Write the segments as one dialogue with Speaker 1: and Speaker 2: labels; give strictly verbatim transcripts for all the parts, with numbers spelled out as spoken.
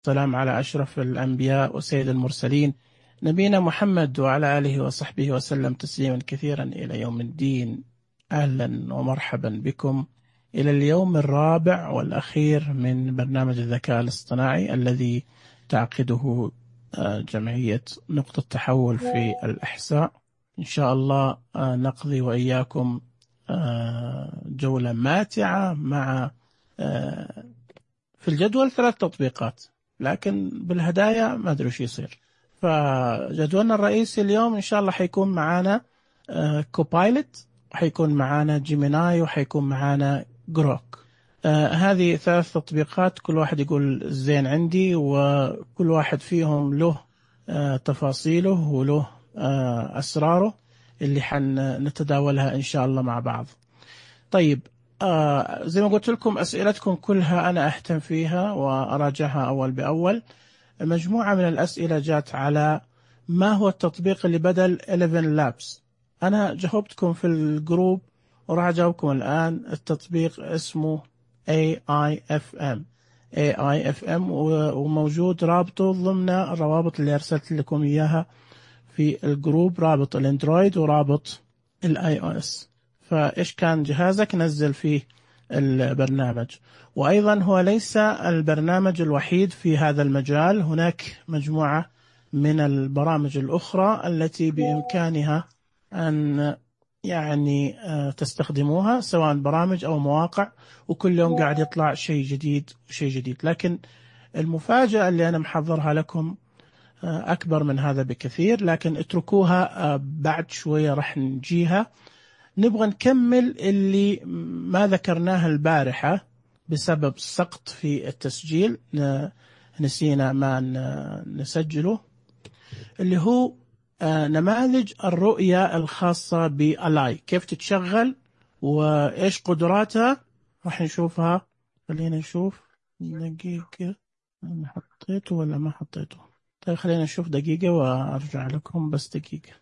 Speaker 1: والسلام على أشرف الأنبياء وسيد المرسلين نبينا محمد وعلى آله وصحبه وسلم تسليما كثيرا إلى يوم الدين. أهلا ومرحبا بكم إلى اليوم الرابع والأخير من برنامج الذكاء الاصطناعي الذي تعقده جمعية نقطة تحول في الأحساء. إن شاء الله نقضي وإياكم جولة ماتعة مع في الجدول ثلاث تطبيقات، لكن بالهدايا ما أدري شو يصير. فجدولنا الرئيسي اليوم إن شاء الله حيكون معانا كوبايلوت، حيكون معانا جيميناي، وحيكون معانا جروك. آه هذه ثلاث تطبيقات كل واحد يقول زين عندي، وكل واحد فيهم له آه تفاصيله وله آه أسراره اللي حنتداولها إن شاء الله مع بعض. طيب، آه زي ما قلت لكم أسئلتكم كلها أنا أهتم فيها وأراجعها أول بأول. مجموعة من الأسئلة جات على ما هو التطبيق اللي بدل إحدى عشر لابس. أنا جاوبتكم في الجروب وراح أجاوبكم الآن. التطبيق اسمه إيه آي إف إم إيه آي إف إم وموجود رابطه ضمن الروابط اللي أرسلت لكم إياها في الجروب، رابط الأندرويد ورابط الآي أو إس. فإيش كان جهازك نزل فيه البرنامج. وأيضا هو ليس البرنامج الوحيد في هذا المجال، هناك مجموعة من البرامج الأخرى التي بإمكانها أن يعني تستخدموها، سواء برامج أو مواقع، وكل يوم قاعد يطلع شيء جديد وشيء جديد. لكن المفاجأة اللي أنا محضرها لكم أكبر من هذا بكثير، لكن اتركوها بعد شوية رح نجيها. نبغى نكمل اللي ما ذكرناه البارحة بسبب سقط في التسجيل، نسينا ما نسجله، اللي هو نماذج الرؤية الخاصة بألاي، كيف تتشغل وإيش قدراتها. راح نشوفها. خلينا نشوف دقيقة، أنا حطيته ولا ما حطيته؟ طيب خلينا نشوف دقيقة وأرجع لكم، بس دقيقة،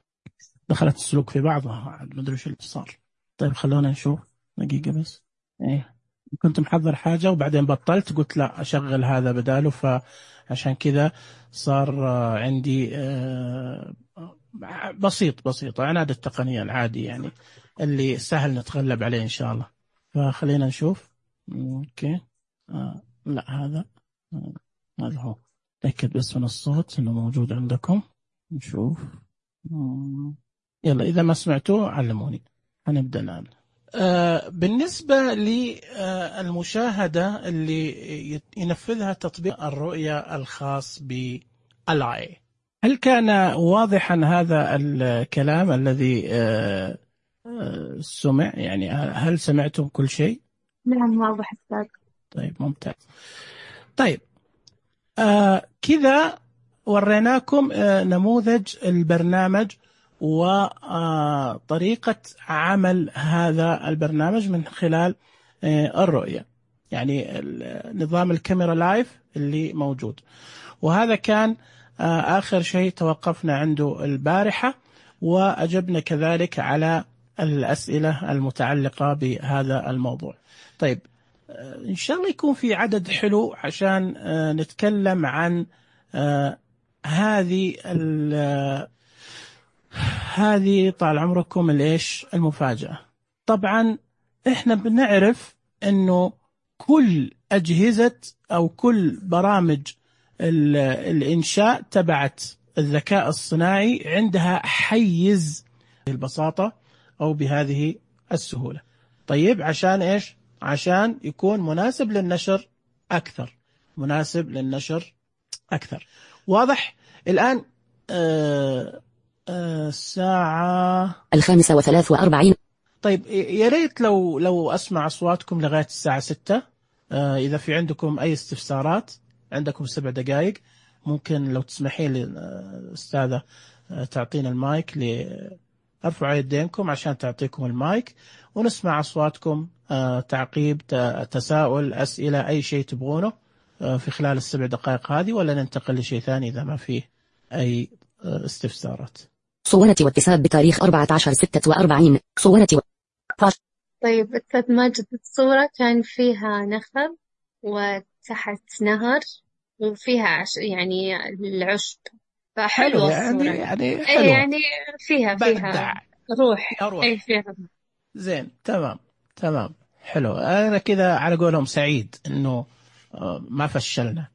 Speaker 1: دخلت السلوك في بعضها، ما أدري شو اللي صار. طيب خلونا نشوف دقيقة بس. إيه، كنت محضر حاجة وبعدين بطلت، قلت لا أشغل هذا بداله، فعشان كذا صار عندي بسيط بسيط عناد التقنية العادي، يعني اللي سهل نتغلب عليه إن شاء الله. فخلينا نشوف. أوكي، آه لا هذا آه هذا هو. تأكد بس من الصوت إنه موجود عندكم. نشوف. يلا إذا ما سمعتوه علموني. هنبدأ الآن. آه بالنسبة للمشاهدة اللي ينفذها تطبيق الرؤية الخاص بألاي، هل كان واضحا هذا الكلام الذي آه آه سمع؟ يعني هل سمعتم كل شيء؟
Speaker 2: نعم واضح أستاذ.
Speaker 1: طيب ممتاز. طيب آه كذا وريناكم آه نموذج البرنامج وطريقة عمل هذا البرنامج من خلال الرؤية، يعني نظام الكاميرا لايف اللي موجود. وهذا كان آخر شيء توقفنا عنده البارحة، وأجبنا كذلك على الأسئلة المتعلقة بهذا الموضوع. طيب إن شاء الله يكون في عدد حلو عشان نتكلم عن هذه هذه طال عمركم الإيش المفاجأة. طبعا إحنا بنعرف إنه كل أجهزة أو كل برامج الإنشاء تبعت الذكاء الصناعي عندها حيز بالبساطة أو بهذه السهولة. طيب عشان إيش؟ عشان يكون مناسب للنشر أكثر، مناسب للنشر أكثر. واضح الآن؟ آه الساعة
Speaker 3: الخامسة وثلاث وأربعين.
Speaker 1: طيب يا ريت لو لو أسمع أصواتكم لغاية الساعة ستة. آه إذا في عندكم أي استفسارات، عندكم سبع دقائق، ممكن لو تسمحين لي أستاذة تعطينا المايك، لأرفعوا يدينكم عشان تعطيكم المايك ونسمع أصواتكم. آه تعقيب، تساؤل، أسئلة، أي شيء تبغونه آه في خلال السبع دقائق هذه، ولا ننتقل لشيء ثاني إذا ما فيه أي آه استفسارات.
Speaker 3: صورة واتساب بتاريخ أربعة عشر ستة وأربعين. صورة و...
Speaker 2: طيب أستاذ ماجد، الصورة كان فيها نخل وتحت نهر وفيها عش... يعني العشب،
Speaker 1: حلو
Speaker 2: فحلوة
Speaker 1: يعني،
Speaker 2: الصورة.
Speaker 1: يعني
Speaker 2: ايه
Speaker 1: حلوة،
Speaker 2: يعني فيها فيها
Speaker 1: بدع،
Speaker 2: روح.
Speaker 1: فيها
Speaker 2: ايه
Speaker 1: روح.
Speaker 2: فيها.
Speaker 1: زين، تمام تمام، حلو. أنا كذا على قولهم سعيد إنه آه، ما فشلنا.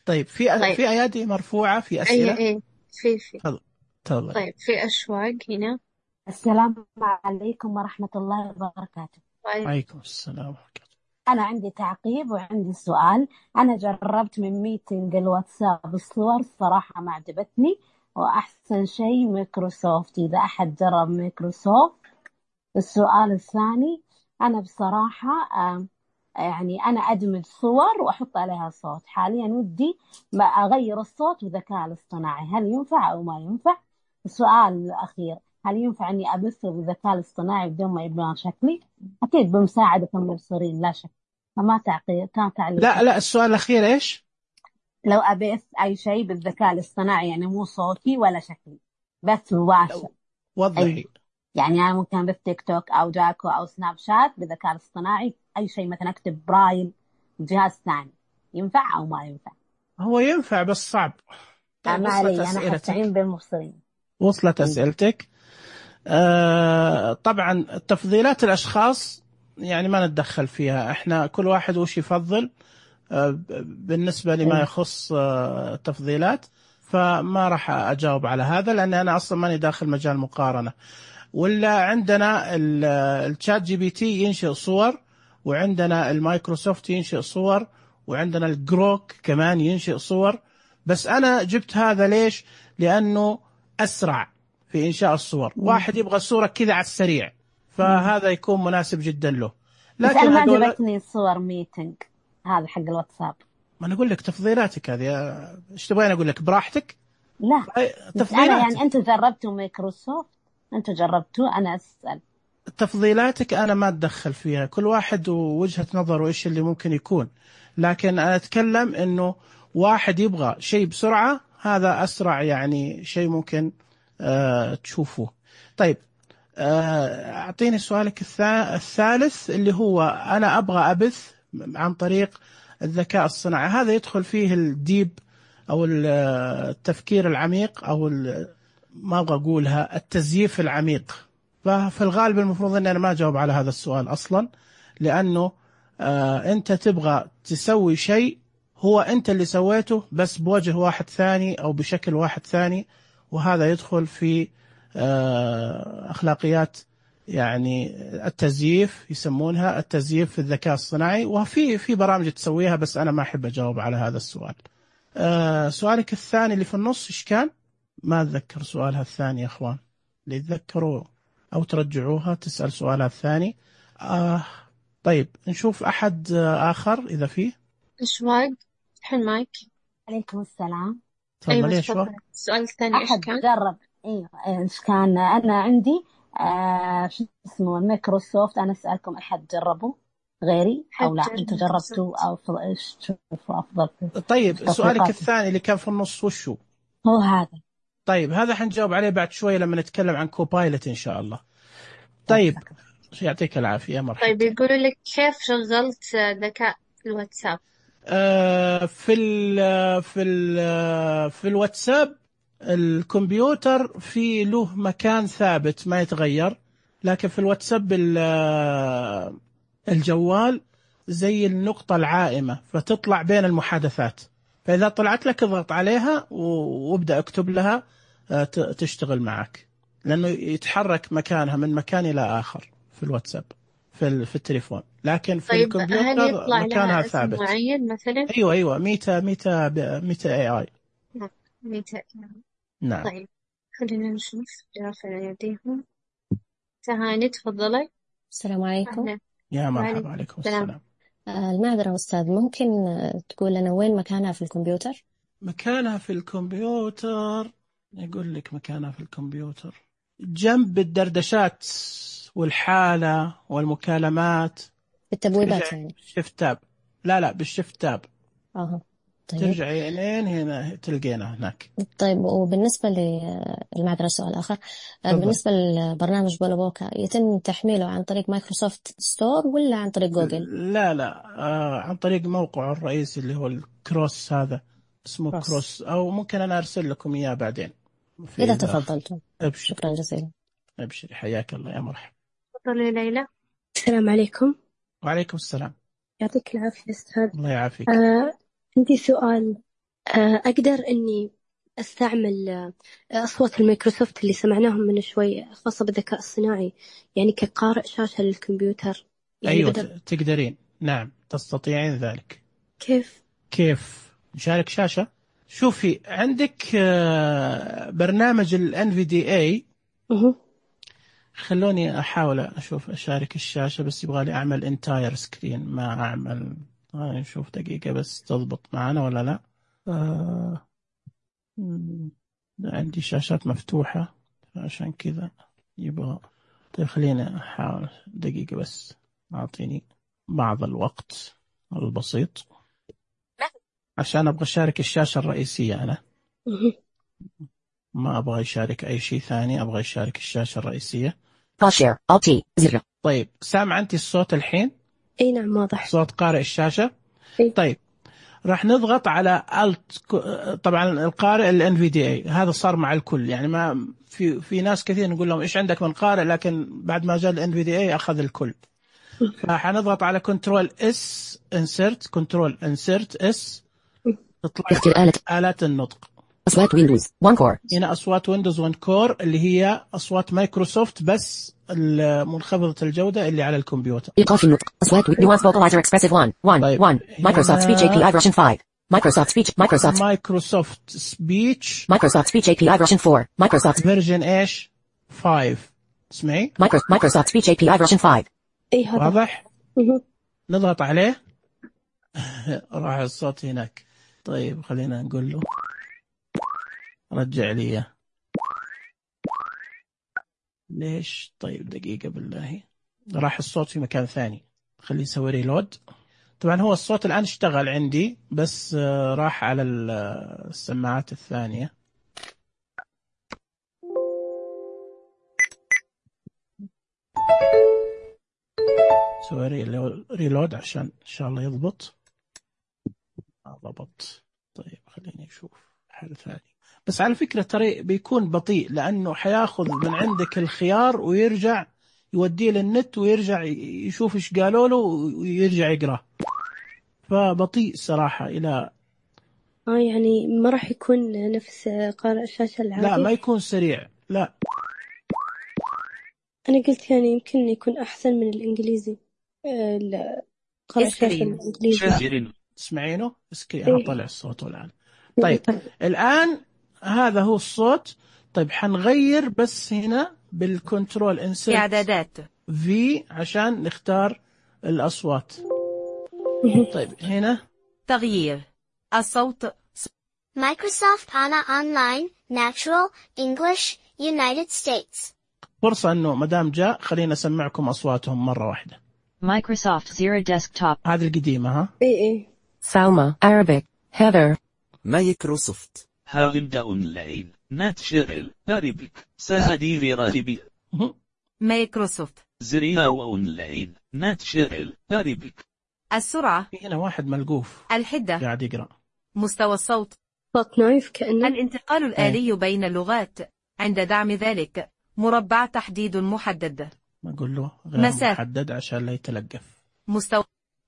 Speaker 1: طيب، في
Speaker 2: طيب.
Speaker 1: في أيادي مرفوعة، في
Speaker 2: ايه
Speaker 1: أسئلة.
Speaker 2: ايه في في
Speaker 1: تفضل تفضل.
Speaker 2: طيب، في أشواق هنا.
Speaker 4: السلام عليكم ورحمة الله وبركاته.
Speaker 2: طيب.
Speaker 1: عليكم السلام ورحمة الله.
Speaker 4: أنا عندي تعقيب وعندي سؤال. أنا جربت من ميتنج الواتساب الصور، الصراحة ما عجبتني، وأحسن شيء مايكروسوفت. إذا أحد جرب مايكروسوفت. السؤال الثاني، أنا بصراحة آم، يعني أنا أدمج صور وأحط عليها صوت. حاليا ودي ما أغير الصوت بذكاء الاصطناعي، هل ينفع أو ما ينفع؟ السؤال الأخير، هل ينفع أني أبث بالذكاء الاصطناعي بدون ما يبان شكلي؟ أكيد بمساعدة المبصرين لا شك. فما تعقيب، كان
Speaker 1: لا
Speaker 4: تعليقي.
Speaker 1: لا، السؤال الأخير إيش؟
Speaker 4: لو أبث أي شيء بالذكاء الاصطناعي، يعني مو صوتي ولا شكلي، بث مباشر.
Speaker 1: لو وضح
Speaker 4: أي
Speaker 1: لي.
Speaker 4: يعني أنا ممكن أبث تيك توك أو جاكو أو سناب شات بالذكاء الاصطناعي، أي شيء مثلا أكتب برايل بجهاز ثاني، ينفع أو ما ينفع؟
Speaker 1: هو ينفع بس صعب. طيب،
Speaker 4: ما
Speaker 1: وصلت
Speaker 4: علي، أنا حستعين
Speaker 1: أسئلتك؟
Speaker 4: بالمبصرين.
Speaker 1: وصلت
Speaker 4: إيه.
Speaker 1: أسئلتك. آه طبعا تفضيلات الأشخاص يعني ما نتدخل فيها، احنا كل واحد وش يفضل. آه بالنسبة لما
Speaker 4: إيه.
Speaker 1: يخص آه التفضيلات، فما راح أجاوب على هذا، لأن أنا أصلا ماني داخل مجال مقارنة. ولا عندنا ال- الشات جي بي تي ينشئ صور، وعندنا المايكروسوفت ينشئ صور، وعندنا الجروك كمان ينشئ صور. بس أنا جبت هذا ليش؟ لأنه أسرع في إنشاء الصور.
Speaker 4: مم.
Speaker 1: واحد يبغى صورة كذا على السريع،
Speaker 4: مم.
Speaker 1: فهذا يكون مناسب جدا له.
Speaker 4: بس أنا
Speaker 1: لكن
Speaker 4: ما
Speaker 1: هذول،
Speaker 4: عجبتني صور ميتنج هذا حق الواتساب.
Speaker 1: ما أنا أقول لك تفضيلاتك هذه. إيش تبغين أقول لك؟ براحتك.
Speaker 4: لا،
Speaker 1: أي-
Speaker 4: بس أنا يعني
Speaker 1: تفضيلاتك.
Speaker 4: أنتوا جربتوا مايكروسوفت، أنتوا جربتوا، أنا أسأل.
Speaker 1: تفضيلاتك أنا ما أتدخل فيها، كل واحد ووجهة نظره إيش اللي ممكن يكون. لكن أنا أتكلم إنه واحد يبغى شيء بسرعة، هذا أسرع يعني شيء ممكن آه تشوفوه. طيب، آه أعطيني سؤالك الثا- الثالث، اللي هو أنا أبغى أبث عن طريق الذكاء الصناعي. هذا يدخل فيه الديب أو ال- التفكير العميق، أو ال- ما أبغى أقولها التزييف العميق. ففي الغالب المفروض أني أنا ما أجاوب على هذا السؤال أصلا، لأنه آه أنت تبغى تسوي شيء هو أنت اللي سويته، بس بوجه واحد ثاني أو بشكل واحد ثاني، وهذا يدخل في آه أخلاقيات يعني التزييف، يسمونها التزييف في الذكاء الصناعي. وفي في برامج تسويها، بس أنا ما أحب أجاوب على هذا السؤال. آه سؤالك الثاني اللي في النص إيش كان؟ ما أتذكر سؤالها الثاني يا أخوان، اللي يتذكروا أو ترجعوها تسأل سؤالها الثاني. آه طيب، نشوف أحد آه آخر إذا فيه.
Speaker 2: أشواق، فتح المايك.
Speaker 4: عليكم السلام.
Speaker 2: أيوة
Speaker 1: تفضل. ليش
Speaker 2: تفضل،
Speaker 1: وقت؟
Speaker 2: السؤال الثاني إيش
Speaker 4: أحد
Speaker 2: كان؟
Speaker 4: جرب؟ ايوه، ايش كان؟ انا عندي آه شو اسمه مايكروسوفت. انا اسالكم، احد جربوا غيري او لا؟
Speaker 2: حجر
Speaker 4: انتم
Speaker 2: مايكروسوفت.
Speaker 4: جربتوا او ف- ايش تشوفوا افضل في
Speaker 1: طيب، سؤالك
Speaker 4: التطبيقات؟
Speaker 1: الثاني اللي كان في النص وشو؟
Speaker 4: هو هذا.
Speaker 1: طيب، هذا حنجاوب عليه بعد شوي لما نتكلم عن كوبايلوت إن شاء الله.
Speaker 4: طيب
Speaker 1: طيب،
Speaker 4: شكرا.
Speaker 1: يعطيك العافية،
Speaker 2: طيب،
Speaker 1: مرحبتين.
Speaker 2: يقولوا لك كيف شغلت ذكاء في الواتساب؟
Speaker 1: آه في ال في ال في الواتساب، الكمبيوتر في له مكان ثابت ما يتغير، لكن في الواتساب ال- الجوال زي النقطة العائمة، فتطلع بين المحادثات. فإذا طلعت لك اضغط عليها و- وابدأ اكتب لها، آه، ت- تشتغل معك، لأنه يتحرك مكانها من مكان إلى آخر في الواتساب، في ال- في التليفون، لكن في
Speaker 2: طيب، هل
Speaker 1: الكمبيوتر
Speaker 2: يطلع
Speaker 1: مكانها
Speaker 2: لها اسم
Speaker 1: ثابت.
Speaker 2: معين مثلا؟
Speaker 1: ايوه ايوه، ميتا ميتا ميتا اي اي.
Speaker 2: لا، ميتا.
Speaker 1: نعم.
Speaker 2: طيب، خلينا نشوف رافع يديهم. تهاني تفضلي.
Speaker 3: السلام عليكم.
Speaker 2: أهلا.
Speaker 1: يا مرحبا،
Speaker 2: وعليكم
Speaker 1: عليكم
Speaker 2: السلام.
Speaker 1: السلام.
Speaker 3: آه، المعذرة أستاذ، ممكن آه، تقول لنا وين مكانها في الكمبيوتر؟
Speaker 1: مكانها في الكمبيوتر، يقول لك مكانها في الكمبيوتر جنب الدردشات والحالة والمكالمات.
Speaker 3: بالتبويبات يعني؟
Speaker 1: بالشيفت تاب. لا لا، بالشيفت تاب.
Speaker 3: اها، طيب
Speaker 1: ترجعي لين هنا تلقينا هناك.
Speaker 3: طيب وبالنسبة للمعذرة سؤال آخر،
Speaker 1: تفضل.
Speaker 3: بالنسبة للبرنامج بولابوكا يتم تحميله عن طريق مايكروسوفت ستور ولا عن طريق جوجل؟
Speaker 1: لا لا آه عن طريق موقعه الرئيسي اللي هو الكروس، هذا اسمه
Speaker 3: كروس.
Speaker 1: كروس، أو ممكن أنا أرسل لكم إياه بعدين في
Speaker 3: إذا
Speaker 1: الآخر.
Speaker 3: تفضلتم.
Speaker 1: أبشر.
Speaker 3: شكرا جزيلا.
Speaker 1: أبشري، حياك الله يا مرحبا.
Speaker 2: تفضلي ليلى.
Speaker 5: السلام عليكم.
Speaker 1: وعليكم السلام.
Speaker 5: يعطيك العافية أستاذ.
Speaker 1: الله يعافيك.
Speaker 5: آه، عندي سؤال. آه، أقدر إني أستعمل آه، أصوات الميكروسوفت اللي سمعناهم من شوي خاصة بالذكاء الصناعي، يعني كقارئ شاشة للكمبيوتر؟ يعني
Speaker 1: أيوة
Speaker 5: بدل
Speaker 1: تقدرين، نعم تستطيعين ذلك.
Speaker 5: كيف؟
Speaker 1: كيف نشارك شاشة؟ شوفي عندك آه برنامج ال إن في دي إيه.
Speaker 5: أه.
Speaker 1: خلوني أحاول أشوف أشارك الشاشة، بس يبغالي أعمل انتاير سكرين، ما أعمل. آه نشوف دقيقة بس تضبط معنا ولا لا. آه عندي شاشات مفتوحة عشان كذا يبغى. طيب خلينا أحاول دقيقة بس، أعطيني بعض الوقت البسيط عشان أبغى أشارك الشاشة الرئيسية. أنا
Speaker 5: أه.
Speaker 1: ما أبغى أشارك أي شيء ثاني، أبغى أشارك الشاشة الرئيسية.
Speaker 6: شير ألتي زر.
Speaker 1: طيب سامع أنت الصوت الحين؟
Speaker 5: أي نعم واضح.
Speaker 1: صوت قارئ الشاشة.
Speaker 5: أي.
Speaker 1: طيب راح نضغط على Alt. طبعا القارئ ال إن في دي إيه هذا صار مع الكل، يعني ما في في ناس كثير نقول لهم إيش عندك من قارئ، لكن بعد ما جاء ال إن في دي إيه أخذ الكل. فحنضغط على كنترول اس انسرت، كنترول انسرت اس، تطلع
Speaker 6: اختيار آلة
Speaker 1: آلات النطق.
Speaker 6: أصوات ويندوز وان كور.
Speaker 1: هنا أصوات ويندوز وان كور اللي هي أصوات مايكروسوفت بس منخفضة الجودة اللي على الكمبيوتر.
Speaker 6: إيقاف النطق. أصوات نيوانس فوكالايزر اكسبرسيف واحد واحد
Speaker 1: طيب.
Speaker 6: واحد. مايكروسوفت سبيتش اي بي اي فيرجن خمسة. مايكروسوفت سبيتش مايكروسوفت
Speaker 1: مايكروسوفت سبيتش
Speaker 6: مايكروسوفت سبيتش اي بي اي فيرجن أربعة. مايكروسوفت
Speaker 1: فيرجن ايش؟ خمسة. اسمعي.
Speaker 6: مايكرو مايكروسوفت سبيتش اي بي اي فيرجن خمسة.
Speaker 5: أي هذا
Speaker 1: واضح؟
Speaker 5: أه.
Speaker 1: نضغط عليه راح الصوت هناك. طيب خلينا نقول له رجع لي إياه. ليش؟ طيب دقيقة بالله، راح الصوت في مكان ثاني. خليه يسوي ريلود. طبعا هو الصوت الآن اشتغل عندي، بس راح على السماعات الثانية. سوي ريلود عشان إن شاء الله يضبط. ضبط. طيب خليني أشوف حل ثاني. بس على فكرة ترى بيكون بطيء، لأنه حياخذ من عندك الخيار ويرجع يوديه للنت ويرجع يشوف إيش قالوا له ويرجع يقرأ، فبطيء صراحة. إلى
Speaker 5: آه يعني ما راح يكون نفس قارئ الشاشة العادي؟
Speaker 1: لا ما يكون سريع، لا.
Speaker 5: أنا قلت يعني يمكن يكون أحسن من الإنجليزي. آه قارئ الشاشة الإنجليزي.
Speaker 1: تسمعينه؟ اسكي أنا طلع الصوت الآن. طيب الآن هذا هو الصوت. طيب حنغير بس هنا بالكنترول انسرت
Speaker 7: إعدادات
Speaker 1: في عشان نختار الأصوات. طيب هنا
Speaker 7: تغيير الصوت.
Speaker 8: Microsoft أنا Online Natural English United States.
Speaker 1: فرصة أنه مدام جاء خلينا أسمعكم أصواتهم مرة واحدة.
Speaker 9: Microsoft Zero Desktop.
Speaker 1: هذه القديمة ها.
Speaker 5: إيه إيه.
Speaker 6: سالما Arabic Heather.
Speaker 10: مايكروسوفت
Speaker 11: هاوند أونلاين ناتشرل أربك سهدي راربي.
Speaker 7: مايكروسوفت
Speaker 11: زريا أونلاين ناتشرل أربك.
Speaker 7: السرعة.
Speaker 1: هنا واحد ملقوف
Speaker 7: الحدة
Speaker 1: قاعد يقرأ.
Speaker 7: مستوى الصوت.
Speaker 5: صوت نايف كأنه.
Speaker 7: الانتقال الآلي بين اللغات عند دعم ذلك. مربع تحديد محدد.
Speaker 1: ما أقول له غير
Speaker 7: مسافة.
Speaker 1: محدد عشان لا يتلقف.
Speaker 7: مستوى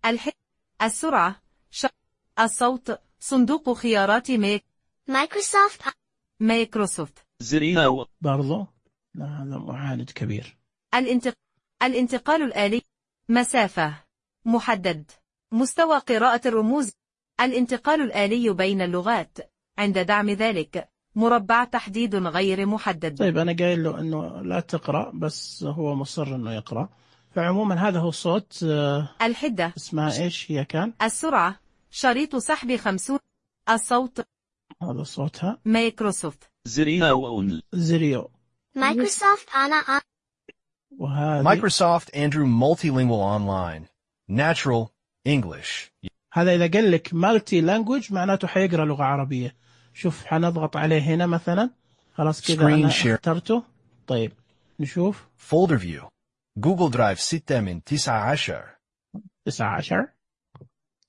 Speaker 7: الحدة. السرعة. ش... الصوت. صندوق خيارات ميك
Speaker 8: مايكروسوفت
Speaker 7: مايكروسوفت.
Speaker 11: زريا
Speaker 1: برضو لا هذا معاند كبير.
Speaker 7: الانتق... الانتقال الآلي. مسافة. محدد. مستوى قراءة الرموز. الانتقال الآلي بين اللغات عند دعم ذلك. مربع تحديد غير محدد.
Speaker 1: طيب أنا قايل له إنه لا تقرأ، بس هو مصر إنه يقرأ. فعموما هذا هو صوت
Speaker 7: الحدة.
Speaker 1: اسمها إيش هي كان؟
Speaker 7: السرعة. شريط سحب خمسون. الصوت.
Speaker 1: هذا صوتها.
Speaker 7: مايكروسوفت.
Speaker 11: زريا وأون
Speaker 1: زريو.
Speaker 8: مايكروسوفت أنا
Speaker 1: وهذه
Speaker 12: Microsoft Andrew Multilingual Online Natural English.
Speaker 1: هذا إذا قال لك مالتي لانجوج معناته حيقرأ لغة عربية. شوف حنضغط عليه هنا مثلا، خلاص كذا أنا اخترته. طيب نشوف
Speaker 12: فولدر فيو جوجل درايف ستة من تسعة عشر.
Speaker 1: تسعة عشر.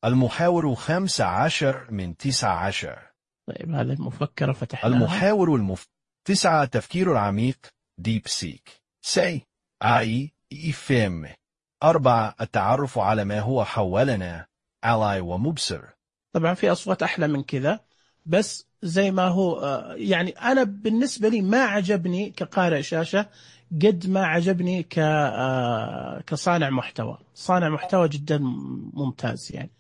Speaker 12: المحاور خمسة عشر من تسعة عشر.
Speaker 1: طيب هذا المفكرة فتحناها.
Speaker 12: المحاور المف... تسعة التفكير العميق ديب سيك. سي اي إفهم. أربعة التعرف على ما هو حولنا علي ومبصر.
Speaker 1: طبعا في أصوات أحلى من كذا، بس زي ما هو يعني أنا بالنسبة لي ما عجبني كقارئ شاشة قد ما عجبني ك كصانع محتوى. صانع محتوى جدا ممتاز يعني.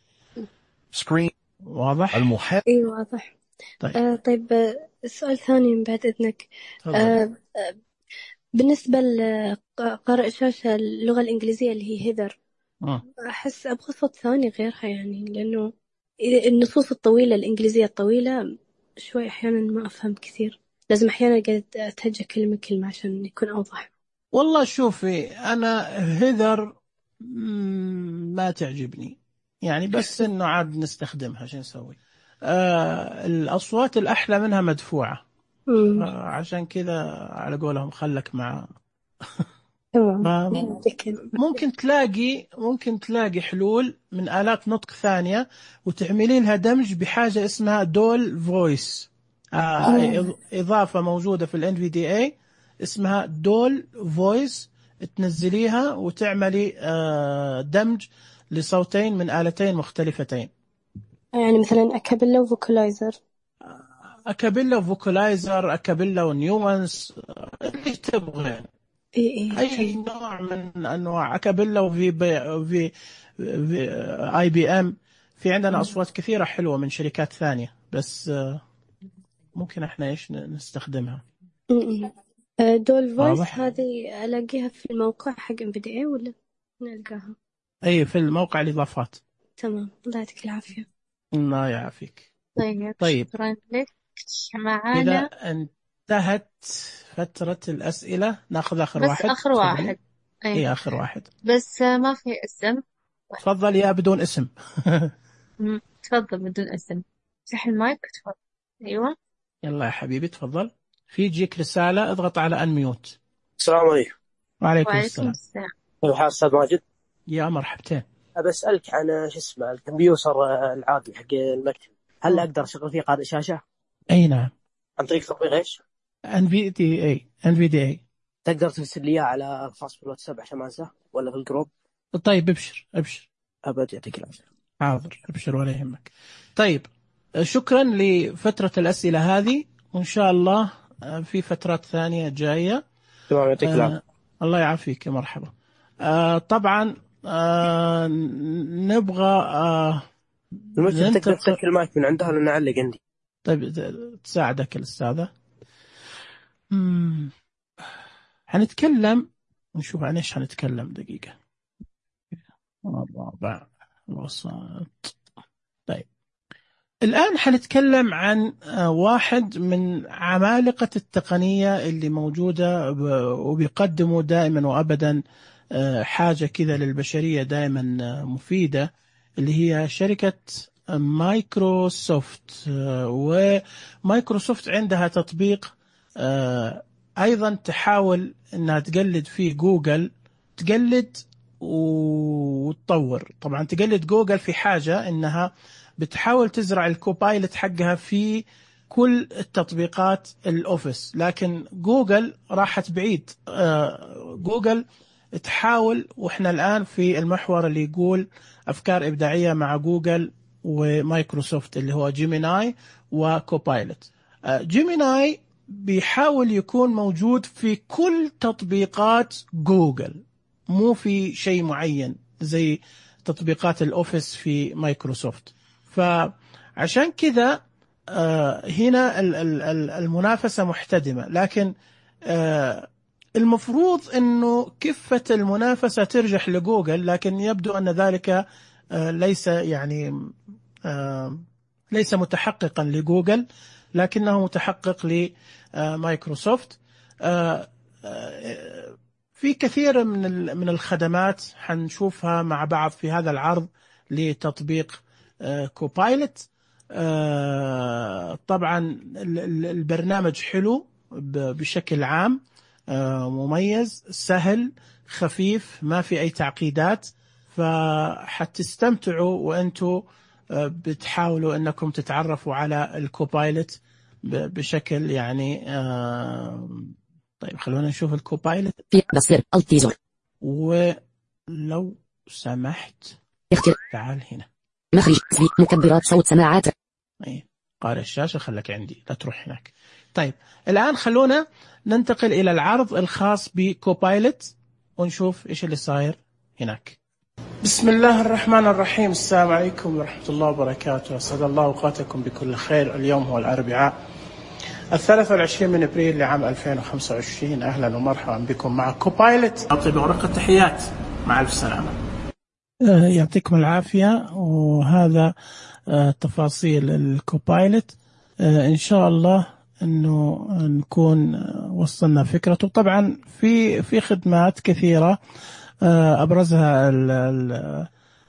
Speaker 12: سكرين
Speaker 1: واضح؟
Speaker 12: المحاور
Speaker 5: اي واضح.
Speaker 1: طيب
Speaker 5: آه طيب آه، سؤال ثاني من بعد إذنك. آه آه بالنسبة لقارئ شاشة اللغة الإنجليزية اللي هي هيذر،
Speaker 1: آه.
Speaker 5: أحس أبغى صوت ثاني غيرها، يعني لأنه النصوص الطويلة الإنجليزية الطويلة شوي أحيانا ما أفهم كثير، لازم أحيانا قاعد أتهجى كلمة كلمة عشان يكون أوضح.
Speaker 1: والله شوفي أنا هيذر ما تعجبني يعني، بس إنه عاد نستخدمها شو نسوي. آه الأصوات الأحلى منها مدفوعة، آه عشان كذا على قولهم خلك مع ممكن تلاقي ممكن تلاقي حلول من آلات نطق ثانية وتعملي لها دمج بحاجة اسمها دول فويس. آه إضافة موجودة في ال إن في دي إيه اسمها دول فويس، تنزليها وتعملي آه دمج لصوتين من آلتين مختلفتين.
Speaker 5: يعني مثلا أكابيلا وفوكالايزر.
Speaker 1: أكابيلا وفوكالايزر، أكابيلا ونيوانس، اللي تبغى.
Speaker 5: إيه إيه
Speaker 1: أي نوع من أنواع أكابيلا وفي بي في, في آي بي إم. في عندنا أصوات كثيرة حلوة من شركات ثانية، بس ممكن إحنا إيش نستخدمها.
Speaker 5: دول فويس هذه ألاقيها في الموقع حق إن في دي إيه ولا نلقاها؟
Speaker 1: أي في الموقع الإضافات.
Speaker 5: تمام، الله يعطيك العافية.
Speaker 1: الله يعافيك.
Speaker 2: طيب,
Speaker 1: طيب.
Speaker 2: شكرا لك. معانا
Speaker 1: إذا انتهت فترة الأسئلة ناخذ آخر
Speaker 2: بس
Speaker 1: واحد.
Speaker 2: آخر واحد.
Speaker 1: أي إيه آخر واحد.
Speaker 2: بس ما في اسم.
Speaker 1: تفضل يا بدون اسم.
Speaker 2: تفضل بدون اسم. افتح المايك تفضل. أيوة.
Speaker 1: يلا يا حبيبي تفضل. في جيك رسالة اضغط على أنميوت.
Speaker 13: السلام عليكم.
Speaker 1: وعليكم,
Speaker 2: وعليكم
Speaker 1: السلام.
Speaker 2: السلام.
Speaker 13: كيف حال أستاذ ماجد؟
Speaker 1: يا مرحبتين.
Speaker 13: أبى أسألك عن شو اسمه الكمبيوتر العادي حق المكتب، هل أقدر أشغل فيه قارئ شاشة؟
Speaker 1: أي نعم.
Speaker 13: عن طريق تطبيق إيش؟
Speaker 1: إن في دي إيه. إن في دي إيه.
Speaker 13: تقدر ترسل لي على الخاص بالواتساب عشان ما أنساه ولا في الجروب؟
Speaker 1: طيب ابشر ابشر.
Speaker 13: أبد يعطيك العافية.
Speaker 1: حاضر ابشر ولا يهمك. طيب شكرا لفترة الأسئلة هذه، وإن شاء الله في فترات ثانية جاية.
Speaker 13: تمام يعطيك العافية.
Speaker 1: آه الله يعافيك. مرحبا. آه طبعا آه نبغى آه
Speaker 13: المشكلة تقدر تسكر المايك من عندها لأن أعلق عندي.
Speaker 1: طيب تساعدك الأستاذة. حنتكلم نشوف عن إيش حنتكلم. دقيقة. الرابع وسط. طيب الآن حنتكلم عن واحد من عمالقة التقنية اللي موجودة وبيقدموا دائما وأبدا حاجة كذا للبشرية دائما مفيدة، اللي هي شركة مايكروسوفت. ومايكروسوفت عندها تطبيق أيضا تحاول أنها تقلد فيه جوجل، تقلد وتطور. طبعا تقلد جوجل في حاجة أنها بتحاول تزرع الكوبايلت حقها في كل التطبيقات الأوفيس، لكن جوجل راحت بعيد. جوجل تحاول، وإحنا الآن في المحور اللي يقول أفكار إبداعية مع جوجل ومايكروسوفت اللي هو جيميناي وكوبايلت. جيميناي بيحاول يكون موجود في كل تطبيقات جوجل، مو في شيء معين زي تطبيقات الأوفيس في مايكروسوفت. فعشان كذا هنا المنافسة محتدمة، لكن المفروض أنه كفة المنافسة ترجح لجوجل، لكن يبدو أن ذلك ليس يعني ليس متحققا لجوجل، لكنه متحقق لمايكروسوفت. في كثير من من الخدمات حنشوفها مع بعض في هذا العرض لتطبيق كوبايلوت. طبعا البرنامج حلو بشكل عام، مميز، سهل، خفيف، ما في أي تعقيدات، فحتستمتعوا وأنتوا بتحاولوا أنكم تتعرفوا على الكوبايلوت بشكل يعني. طيب خلونا نشوف الكوبايلوت.
Speaker 6: بصير التيزر.
Speaker 1: ولو سمحت
Speaker 6: اختر.
Speaker 1: تعال هنا.
Speaker 6: مخرج مكبرات صوت سماعات.
Speaker 1: اي قارئ الشاشة خلك عندي، لا تروح هناك. طيب الآن خلونا ننتقل إلى العرض الخاص بكوبايلوت ونشوف إيش اللي صاير هناك. بسم الله الرحمن الرحيم. السلام عليكم ورحمة الله وبركاته. أسعد الله أوقاتكم بكل خير. اليوم هو الأربعاء الثالث والعشرين من أبريل لعام ألفين وخمسة وعشرين. أهلا ومرحبا بكم مع كوبايلوت. أطيب ورقة التحيات، مع ألف سلامة. يعطيكم العافية. وهذا تفاصيل الكوبايلوت. إن شاء الله إنه نكون وصلنا فكرته. طبعا في في خدمات كثيرة أبرزها ال ال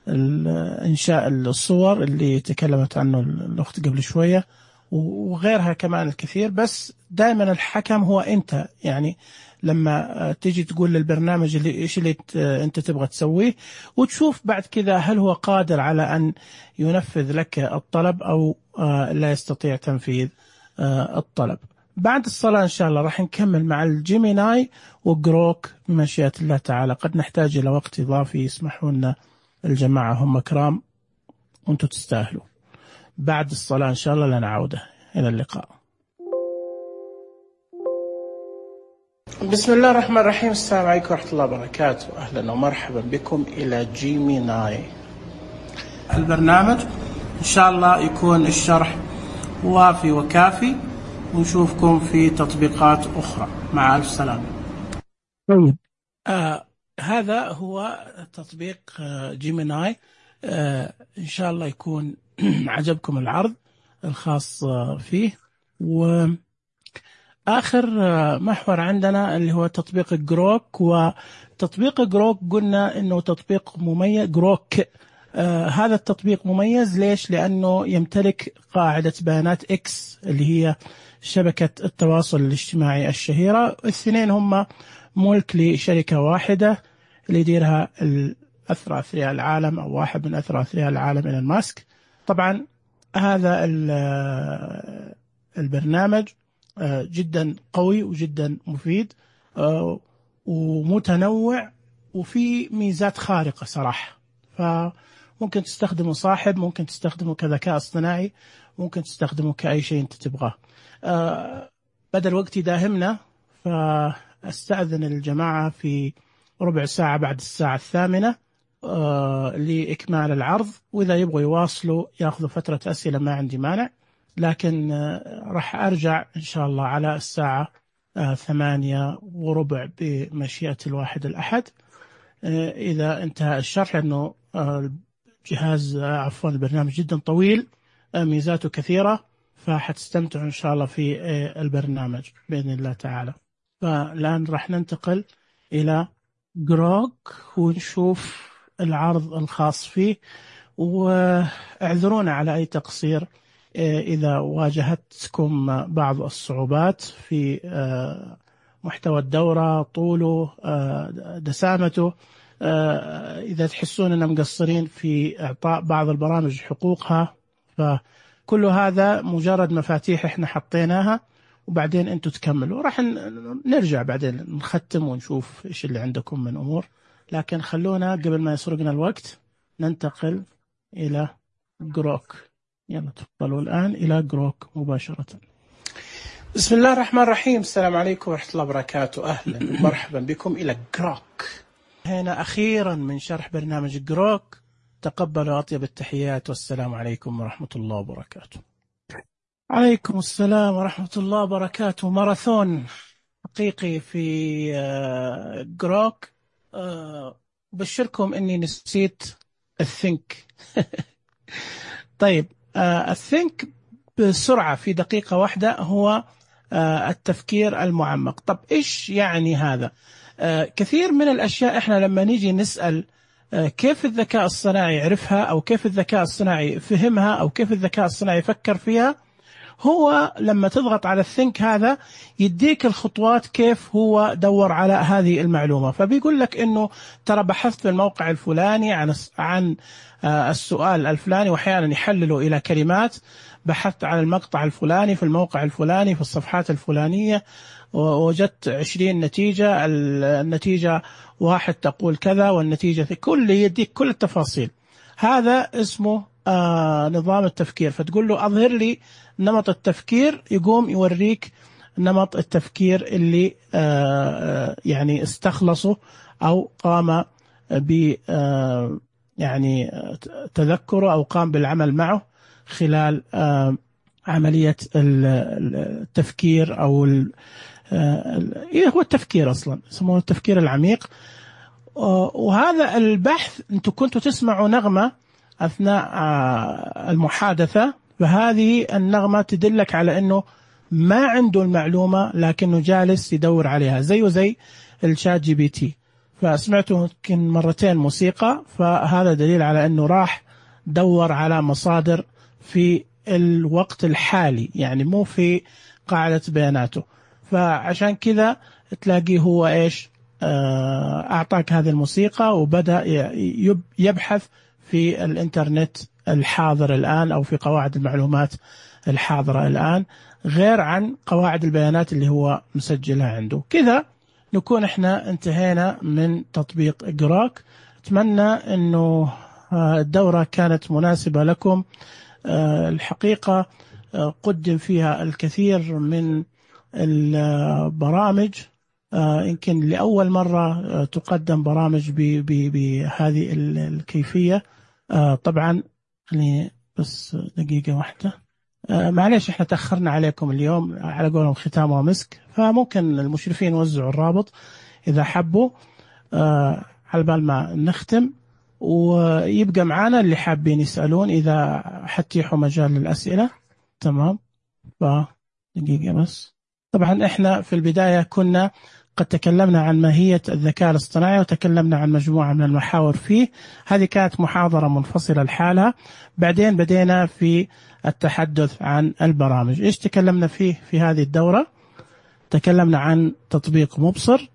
Speaker 1: الإنشاء الصور اللي تكلمت عنه الأخت قبل شوية، وغيرها كمان الكثير. بس دائما الحكم هو أنت، يعني لما تيجي تقول للبرنامج اللي إيش اللي أنت تبغى تسويه، وتشوف بعد كذا هل هو قادر على أن ينفذ لك الطلب أو لا يستطيع تنفيذ الطلب. بعد الصلاة إن شاء الله راح نكمل مع الجيميناي وجروك بمشيئة الله تعالى. قد نحتاج إلى وقت إضافي، يسمحوا لنا الجماعة، هم كرام وأنتم تستاهلوا. بعد الصلاة إن شاء الله لنا عودة. إلى اللقاء. بسم الله الرحمن الرحيم. السلام عليكم ورحمة الله وبركاته. أهلا ومرحبا بكم إلى جيميناي. البرنامج إن شاء الله يكون الشرح وافي وكافي، ونشوفكم في تطبيقات أخرى. مع ألف سلامة. طيب آه هذا هو تطبيق آه جيميناي. آه إن شاء الله يكون عجبكم العرض الخاص آه فيه. وآخر آه محور عندنا اللي هو تطبيق جروك. وتطبيق جروك قلنا إنه تطبيق مميز. جروك آه هذا التطبيق مميز ليش؟ لأنه يمتلك قاعدة بيانات إكس اللي هي شبكة التواصل الاجتماعي الشهيرة. الاثنين هم ملك لشركة واحدة اللي يديرها الأثرى أثرياء العالم، أو واحد من أثرى أثرياء العالم، إيلون ماسك. طبعا هذا البرنامج جدا قوي وجدا مفيد ومتنوع، وفي ميزات خارقة صراحة. فممكن تستخدمه صاحب، ممكن تستخدمه كذكاء اصطناعي، ممكن تستخدمه كأي شيء أنت تبغاه. أه بدل وقت يداهمنا، فاستأذن الجماعة في ربع ساعة بعد الساعة الثامنة أه لإكمال العرض. وإذا يبغوا يواصلوا يأخذوا فترة أسئلة ما عندي مانع، لكن أه راح أرجع إن شاء الله على الساعة أه ثمانية وربع بمشيئة الواحد الأحد أه إذا انتهى الشرح، لأنه أه جهاز أه عفوا البرنامج جدا طويل، أه ميزاته كثيرة، فحتستمتعوا إن شاء الله في البرنامج بإذن الله تعالى. فالآن راح ننتقل إلى جروك ونشوف العرض الخاص فيه. واعذرونا على أي تقصير إذا واجهتكم بعض الصعوبات في محتوى الدورة، طوله، دسامته. إذا تحسون أننا مقصرين في إعطاء بعض البرامج حقوقها، ف كل هذا مجرد مفاتيح احنا حطيناها، وبعدين انتم تكملوا. راح نرجع بعدين نختم ونشوف ايش اللي عندكم من امور. لكن خلونا قبل ما يسرقنا الوقت ننتقل الى جروك. يلا تفضلوا الان الى جروك مباشرة. بسم الله الرحمن الرحيم. السلام عليكم ورحمة الله وبركاته. اهلا ومرحبا بكم الى جروك. هنا اخيرا من شرح برنامج جروك. تقبلوا أطيب التحيات، والسلام عليكم ورحمة الله وبركاته. عليكم السلام ورحمة الله وبركاته. ماراثون حقيقي في جروك. أبشركم أني نسيت الثينك. طيب الثينك بسرعة في دقيقة واحدة هو التفكير المعمق. طب إيش يعني هذا؟ كثير من الأشياء إحنا لما نيجي نسأل كيف الذكاء الصناعي عرفها أو كيف الذكاء الصناعي فهمها أو كيف الذكاء الصناعي فكر فيها. هو لما تضغط على الثينك هذا يديك الخطوات كيف هو دور على هذه المعلومة. فبيقول لك إنه ترى بحثت في الموقع الفلاني عن عن السؤال الفلاني، وأحيانا يحلله إلى كلمات. بحثت عن المقطع الفلاني في الموقع الفلاني في الصفحات الفلانية، ووجدت عشرين نتيجة، النتيجة واحد تقول كذا والنتيجة كل يديك كل التفاصيل. هذا اسمه آه نظام التفكير. فتقول له أظهر لي نمط التفكير، يقوم يوريك نمط التفكير اللي آه يعني استخلصه أو قام ب آه يعني تذكره أو قام بالعمل معه خلال آه عملية التفكير أو إيه هو التفكير أصلا يسمونه التفكير العميق. وهذا البحث أنتم كنتوا تسمعوا نغمة أثناء المحادثة، فهذه النغمة تدلك على أنه ما عنده المعلومة لكنه جالس يدور عليها، زيه زي الشات جي بي تي. فسمعته يمكن مرتين موسيقى، فهذا دليل على أنه راح دور على مصادر في الوقت الحالي، يعني مو في قاعدة بياناته. فعشان كذا تلاقيه هو إيش أعطاك هذه الموسيقى وبدأ يبحث في الإنترنت الحاضر الآن أو في قواعد المعلومات الحاضرة الآن، غير عن قواعد البيانات اللي هو مسجلها عنده. كذا نكون احنا انتهينا من تطبيق جروك. أتمنى أنه الدورة كانت مناسبة لكم. الحقيقة قدم فيها الكثير من البرامج، يمكن لأول مرة تقدم برامج بهذه الكيفية. طبعا خليني بس دقيقة واحدة، معليش احنا تأخرنا عليكم اليوم، على قولهم ختام ومسك، فممكن المشرفين يوزعوا الرابط إذا حبوا على بال ما نختم، ويبقى معانا اللي حابين يسألون إذا حتيحوا مجال للأسئلة. تمام، فدقيقة بس. طبعا احنا في البداية كنا قد تكلمنا عن ماهية الذكاء الاصطناعي وتكلمنا عن مجموعة من المحاور فيه. هذه كانت محاضرة منفصلة لحالها. بعدين بدينا في التحدث عن البرامج. إيش تكلمنا فيه في هذه الدورة؟ تكلمنا عن تطبيق مبصر،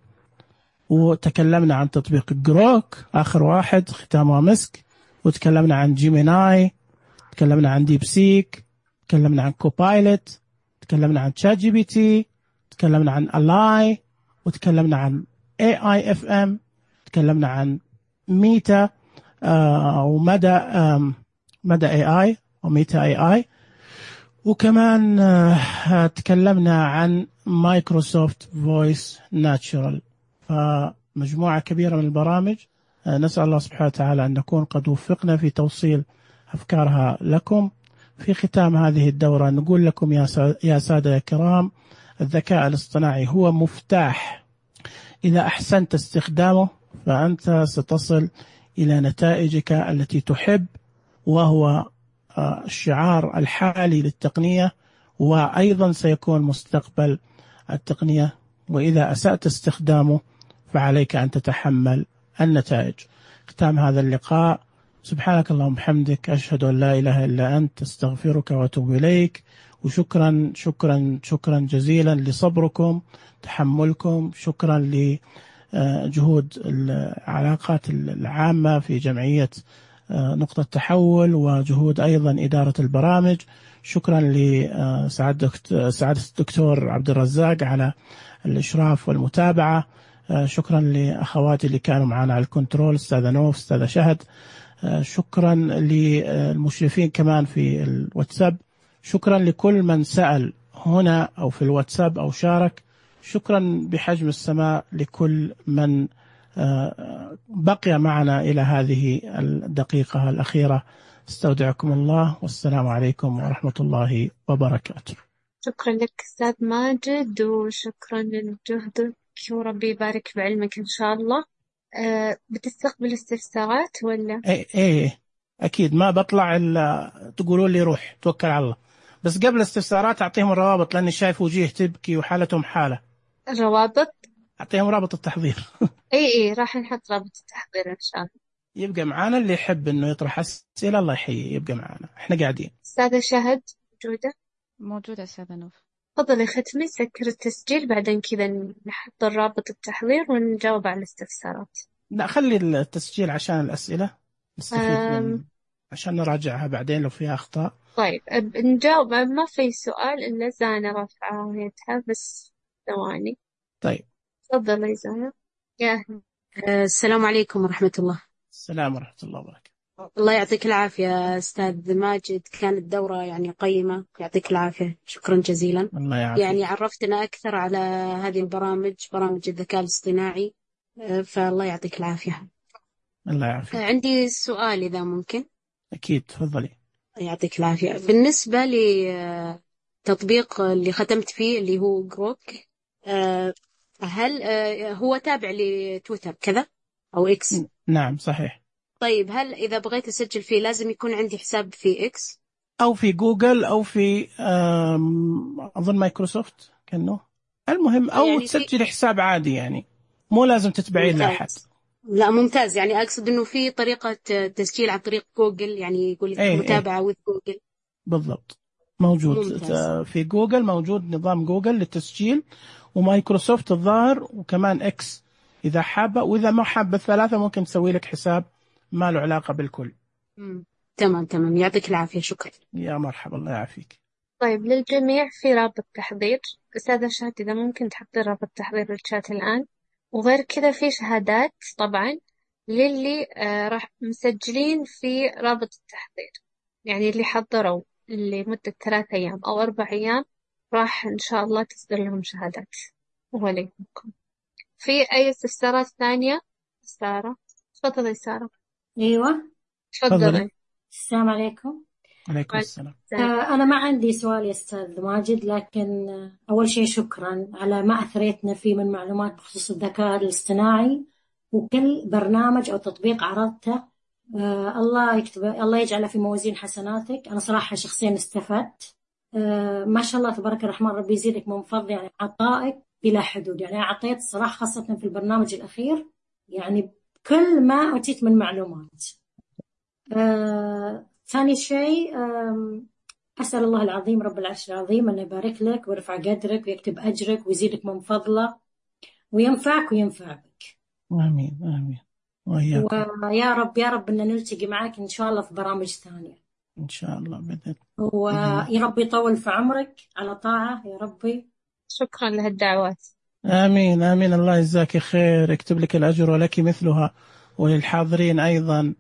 Speaker 1: وتكلمنا عن تطبيق جروك آخر واحد ختام ومسك، وتكلمنا عن جيميناي، تكلمنا عن ديب سيك، تكلمنا عن كوبايلوت، تكلمنا عن تشات جي بي تي، تكلمنا عن الاي، وتكلمنا عن اي اي اف ام، تكلمنا عن ميتا آه ومدى آه مدى اي اي وميتا اي اي، وكمان آه تكلمنا عن مايكروسوفت فويس ناتشورال. فمجموعة كبيرة من البرامج. آه نسأل الله سبحانه وتعالى أن نكون قد وفقنا في توصيل أفكارها لكم. في ختام هذه الدورة نقول لكم يا سادة يا كرام، الذكاء الاصطناعي هو مفتاح، إذا أحسنت استخدامه فأنت ستصل إلى نتائجك التي تحب، وهو الشعار الحالي للتقنية، وأيضا سيكون مستقبل التقنية. وإذا أسأت استخدامه فعليك أن تتحمل النتائج. ختام هذا اللقاء، سبحانك اللهم وبحمدك، أشهد أن لا إله إلا أنت، أستغفرك وأتوب إليك. وشكرا شكرا شكرا جزيلا لصبركم، تحملكم، شكرا لجهود العلاقات العامة في جمعية نقطة تحول، وجهود أيضا إدارة البرامج. شكرا لسعادة الدكتور عبد الرزاق على الإشراف والمتابعة. شكرا لأخواتي اللي كانوا معنا على الكنترول، أستاذة نوف، أستاذة شهد. شكرا للمشرفين كمان في الواتساب. شكرا لكل من سأل هنا أو في الواتساب أو شارك. شكرا بحجم السماء لكل من بقي معنا إلى هذه الدقيقة الأخيرة. استودعكم الله، والسلام عليكم ورحمة الله وبركاته.
Speaker 2: شكرا لك أستاذ ماجد، وشكرا لجهدك، وربي يبارك بعلمك إن شاء الله. أه بتستقبل استفسارات ولا؟
Speaker 1: ايه ايه اكيد، ما بطلع الا تقولوا لي روح توكل على الله. بس قبل الاستفسارات اعطيهم الروابط، لاني شايف وجيه تبكي وحالتهم حاله.
Speaker 2: الروابط؟
Speaker 1: اعطيهم رابط التحضير.
Speaker 2: اي اي راح نحط رابط التحضير ان شاء الله.
Speaker 1: يبقى معانا، اللي يحب إنه يطرح أسئلة الله يحييه يبقى معانا، إحنا قاعدين.
Speaker 2: أستاذة شهد موجودة؟
Speaker 14: موجودة أستاذة نوف.
Speaker 2: تفضلي ختمي، سكر التسجيل، بعدين كذا نحط رابط التحضير ونجاوب على الاستفسارات.
Speaker 1: لا خلي التسجيل عشان الأسئلة نستفيد
Speaker 2: أم...
Speaker 1: من عشان نراجعها بعدين لو فيها أخطاء.
Speaker 2: طيب نجاوب. ما في سؤال إلا زانة رافعة يدها، بس ثواني.
Speaker 1: طيب
Speaker 2: تفضلي زانة. يا أهلا.
Speaker 15: السلام عليكم ورحمة الله.
Speaker 1: السلام ورحمة الله وبركاته.
Speaker 15: الله يعطيك العافية أستاذ ماجد، كانت دورة يعني قيمة، يعطيك العافية، شكرا جزيلا.
Speaker 1: الله يعافيك.
Speaker 15: يعني عرفتنا أكثر على هذه البرامج، برامج الذكاء الاصطناعي، فالله يعطيك العافية.
Speaker 1: الله يعافيك.
Speaker 15: عندي سؤال إذا ممكن.
Speaker 1: أكيد تفضلي.
Speaker 15: يعطيك العافية. بالنسبة لتطبيق اللي ختمت فيه اللي هو جروك، هل هو تابع لتويتر كذا أو إكس؟
Speaker 1: نعم صحيح.
Speaker 15: طيب هل إذا بغيت أسجل فيه لازم يكون عندي حساب في إكس
Speaker 1: أو في جوجل أو في أظن مايكروسوفت كأنه، المهم أو يعني تسجل في... حساب عادي، يعني مو لازم تتبعين لأحد.
Speaker 15: لا ممتاز، يعني أقصد إنه في طريقة تسجيل عن طريق جوجل، يعني يقول لك
Speaker 1: أي
Speaker 15: متابعة
Speaker 1: أي.
Speaker 15: with جوجل.
Speaker 1: بالضبط موجود
Speaker 15: ممتاز.
Speaker 1: في جوجل موجود نظام جوجل للتسجيل، ومايكروسوفت الظاهر، وكمان إكس إذا حابة، وإذا ما حابة الثلاثة ممكن تسوي لك حساب ما له علاقة بالكل.
Speaker 15: مم. تمام تمام، يعطيك العافية، شكرا.
Speaker 1: يا مرحبا، الله يعافيك.
Speaker 2: طيب للجميع في رابط تحضير. أستاذة شهد إذا ممكن تحطي رابط تحضير بالشات الآن. وغير كذا في شهادات طبعا للي آه راح مسجلين في رابط التحضير، يعني اللي حضروا لمدة ثلاث أيام أو أربع أيام راح إن شاء الله تصدر لهم شهادات. وعليكم. في أي استفسارات ثانية؟ سارة تفضلي. سارة.
Speaker 16: أيوة
Speaker 2: تفضلي.
Speaker 16: السلام عليكم.
Speaker 1: عليكم السلام.
Speaker 16: آه أنا ما عندي سؤال يا أستاذ ماجد، لكن آه أول شيء شكرا على ما أثريتنا فيه من معلومات بخصوص الذكاء الاصطناعي، وكل برنامج أو تطبيق عرضته آه الله يكتب الله يجعله في موازين حسناتك. أنا صراحة شخصيا استفدت آه ما شاء الله تبارك الرحمن، ربي يزيدك من فضل، يعني عطائك بلا حدود. يعني أعطيت صراحة خاصة في البرنامج الأخير يعني كل ما أتيت من معلومات. آه ثاني شيء أسأل الله العظيم رب العرش العظيم أن يبارك لك ويرفع قدرك ويكتب أجرك ويزيدك من فضله وينفعك وينفع بك.
Speaker 1: آمين آمين. وإياكم.
Speaker 16: ويا رب يا رب أن نلتقي معك إن شاء الله في برامج ثانية
Speaker 1: إن شاء الله بإذن.
Speaker 16: ويا رب يطول في عمرك على طاعة يا ربي.
Speaker 2: شكرا لهالدعوات.
Speaker 1: آمين آمين. الله يجزاك خير، يكتب لك الأجر ولك مثلها، وللحاضرين أيضا.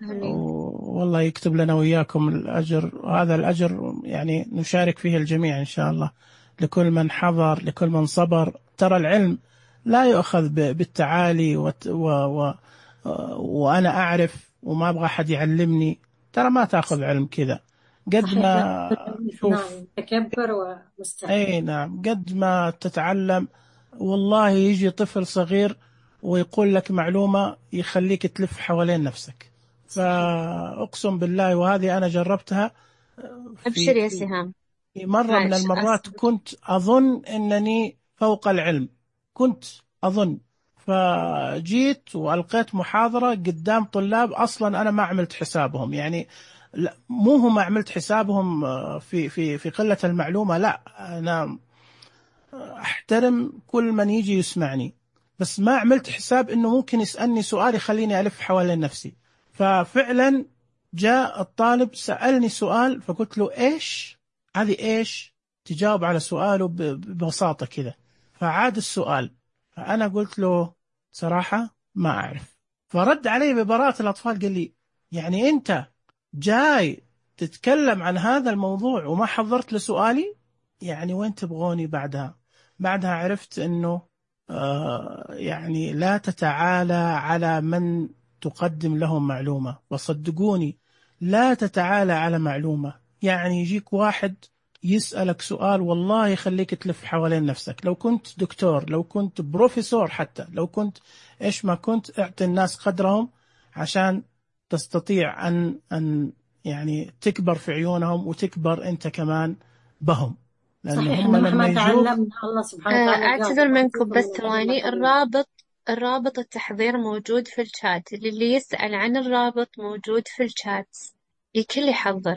Speaker 2: آمين.
Speaker 1: والله يكتب لنا وإياكم الأجر، وهذا الأجر يعني نشارك فيه الجميع إن شاء الله، لكل من حضر، لكل من صبر. ترى العلم لا يؤخذ بالتعالي و... و... و... وأنا أعرف وما أبغى أحد يعلمني، ترى ما تأخذ علم كذا. قد ما
Speaker 16: شوف تكبر ومستحيل.
Speaker 1: أي نعم، قد ما تتعلم. والله يجي طفل صغير ويقول لك معلومة يخليك تلف حوالين نفسك، فأقسم بالله، وهذه أنا جربتها.
Speaker 2: أبشر يا سهام.
Speaker 1: في مرة من المرات أصبر. كنت أظن أنني فوق العلم، كنت أظن، فجيت وألقيت محاضرة قدام طلاب أصلا أنا ما عملت حسابهم، يعني لا مو هم ما عملت حسابهم في في في قلة المعلومة، لا أنا أحترم كل من يجي يسمعني، بس ما عملت حساب إنه ممكن يسألني سؤال يخليني ألف حوالين نفسي. ففعلا جاء الطالب سألني سؤال، فقلت له إيش هذه، إيش تجاوب على سؤاله ببساطة كذا. فعاد السؤال، فأنا قلت له صراحة ما أعرف. فرد علي ببراءة الأطفال، قال لي يعني أنت جاي تتكلم عن هذا الموضوع وما حضرت لسؤالي؟ يعني وين تبغوني بعدها؟ بعدها عرفت أنه آه يعني لا تتعالى على من تقدم لهم معلومة، وصدقوني لا تتعالى على معلومة. يعني يجيك واحد يسألك سؤال والله يخليك تلف حوالين نفسك. لو كنت دكتور، لو كنت بروفيسور، حتى لو كنت إيش ما كنت، اعطي الناس قدرهم عشان تستطيع أن أن يعني تكبر في عيونهم وتكبر أنت كمان بهم.
Speaker 16: صحيح، هم لما تعلمنا الله سبحانه وتعالى.
Speaker 2: أعتذر منكم بس ثواني، الرابط الرابط التحضير موجود في الشات، اللي يسأل عن الرابط موجود في الشات، الكل يحضر.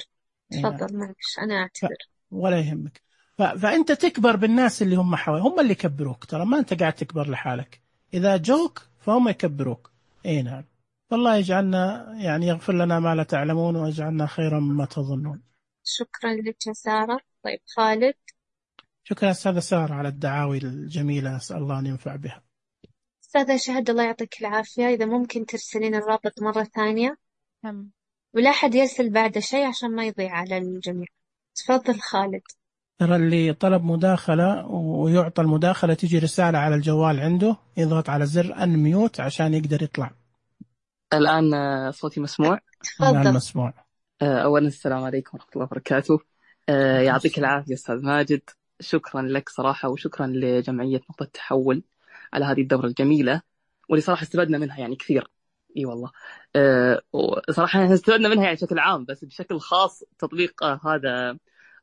Speaker 2: تفضل معلش أنا أعتذر.
Speaker 1: ولا يهمك. ف... فأنت تكبر بالناس اللي هم حوالي، هم اللي يكبروك، ترى ما أنت قاعد تكبر لحالك. إذا جوك فهم يكبروك. إيه نعم. والله يجعلنا يعني يغفر لنا ما لا تعلمون ويجعلنا خيرا مما تظنون.
Speaker 2: شكرا لك يا سارة. طيب خالد.
Speaker 1: شكرا أستاذة سارة على الدعاوي الجميلة، أسأل الله أن ينفع بها.
Speaker 2: أستاذة شهد الله يعطيك العافية، إذا ممكن ترسلين الرابط مرة ثانية.
Speaker 14: هم.
Speaker 2: ولا أحد يرسل بعد شيء عشان ما يضيع على الجميع. تفضل خالد.
Speaker 1: ترى اللي طلب مداخلة ويعطى المداخلة تيجي رسالة على الجوال عنده، يضغط على زر أنميوت عشان يقدر يطلع.
Speaker 17: الآن صوتي مسموع؟
Speaker 1: الآن مسموع.
Speaker 17: أولا السلام عليكم ورحمة الله وبركاته. يعطيك العافية أستاذ ماجد، شكرا لك صراحة، وشكرا لجمعية نقطة تحول على هذه الدورة الجميلة واللي صراحة استفدنا منها يعني كثير. اي والله أه صراحة استفدنا منها يعني بشكل عام، بس بشكل خاص تطبيق آه هذا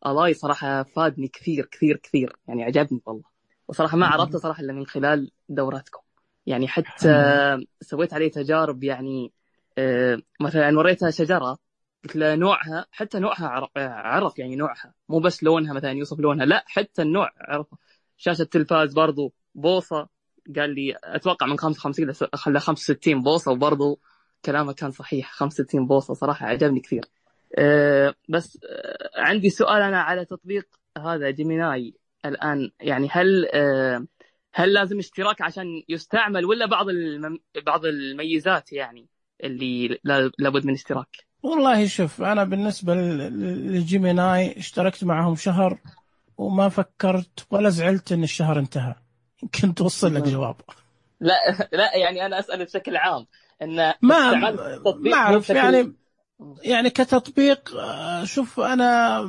Speaker 17: ألاي صراحة فادني كثير كثير كثير، يعني عجبني والله. وصراحة ما عرفته صراحة إلا من خلال دوراتكم، يعني حتى آه سويت عليه تجارب، يعني آه مثلا وريتها شجرة قلت له نوعها، حتى نوعها عرف يعني نوعها، مو بس لونها مثلا يوصف لونها، لا حتى النوع عرفه. شاشة تلفاز برضو بوصة، قال لي أتوقع من خمسة وخمسين خلى خمسة وستين بوصة، وبرضو كلامه كان صحيح خمسة وستين بوصة. صراحة عجبني كثير. أه بس أه عندي سؤال أنا على تطبيق هذا جيميناي الآن، يعني هل أه هل لازم اشتراك عشان يستعمل، ولا بعض المم... بعض الميزات يعني اللي لابد من اشتراك؟
Speaker 1: والله شوف، أنا بالنسبة للجيميناي اشتركت معهم شهر وما فكرت ولا زعلت إن الشهر انتهى. يمكن توصل لك جواب.
Speaker 17: لا لا يعني أنا أسأل بشكل عام إن
Speaker 1: ما ما أعرف يعني يعني كتطبيق. شوف أنا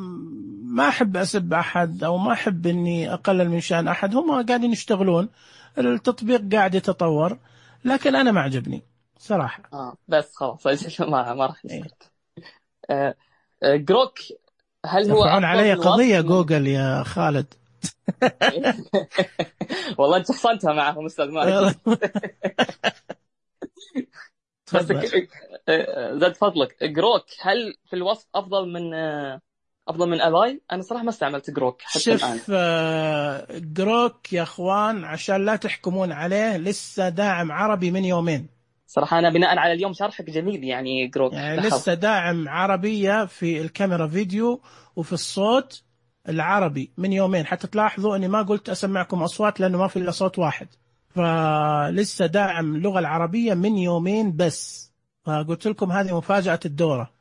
Speaker 1: ما أحب أسب أحد أو ما أحب إني أقلل من شأن أحد، هم قاعدين يشتغلون، التطبيق قاعد يتطور، لكن أنا ما عجبني صراحة.
Speaker 17: آه بس خلاص ما ما راح نسكت. آه آه جروك هل هو
Speaker 1: يرفعون علي قضية جوجل يا خالد؟
Speaker 17: والله انت حصلتها معهم استاذ مالك. بس زاد فضلك جروك هل في الوصف افضل من افضل من الاي؟ انا صراحه ما استعملت جروك حتى الان.
Speaker 1: شوف جروك يا اخوان عشان لا تحكمون عليه، لسه داعم عربي من يومين
Speaker 17: صراحه. انا بناء على اليوم شرحك جميل يعني جروك
Speaker 1: يعني لسه داعم عربيه في الكاميرا فيديو وفي الصوت العربي من يومين. حتى تلاحظوا اني ما قلت اسمعكم اصوات لانه ما في الا صوت واحد، فلسه داعم اللغه العربيه من يومين بس. فقلت لكم هذه مفاجاه الدوره،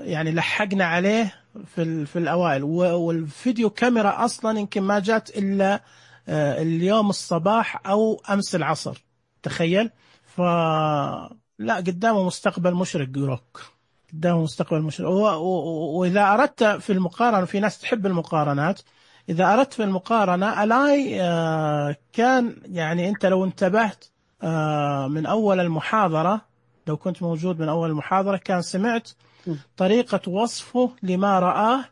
Speaker 1: يعني لحقنا عليه في في الاوائل. والفيديو كاميرا اصلا يمكن ما جات الا اليوم الصباح او امس العصر، تخيل. فلا قدامه مستقبل مشرق جروك، قدامه مستقبل مشرق. واذا اردت في المقارنه، في ناس تحب المقارنات، اذا اردت في المقارنه الاي كان يعني انت لو انتبهت من اول المحاضره، لو كنت موجود من اول المحاضره كان سمعت طريقه وصفه لما رآه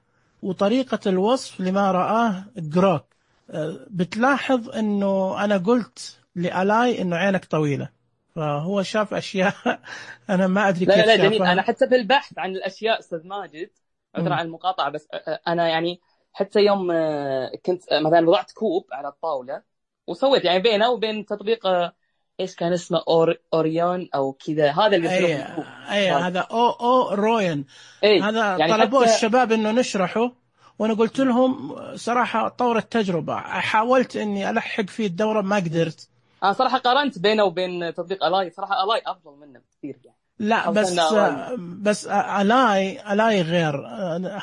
Speaker 1: وطريقه الوصف لما رآه جروك. بتلاحظ انه انا قلت لألاي انه عينك طويله، فهو شاف أشياء أنا ما أدري كيف.
Speaker 17: لا لا جميل. أنا حتى في البحث عن الأشياء أستاذ ماجد، عذرا عن المقاطعة، بس أنا يعني حتى يوم كنت مثلا وضعت كوب على الطاولة وسويت يعني بينه وبين تطبيق إيش كان اسمه أور أوريون أو كذا، هذا اللي
Speaker 1: أي أي هذا أو أو روين. هذا يعني طلبوا حتى... الشباب إنه نشرحه، وأنا قلت لهم صراحة طور التجربة، حاولت إني ألحق فيه الدورة ما قدرت.
Speaker 17: أنا صراحة قارنت بينه وبين تطبيق ألاي، صراحة ألاي أفضل منه بكثير يعني.
Speaker 1: لا بس بس ألاي ألاي غير،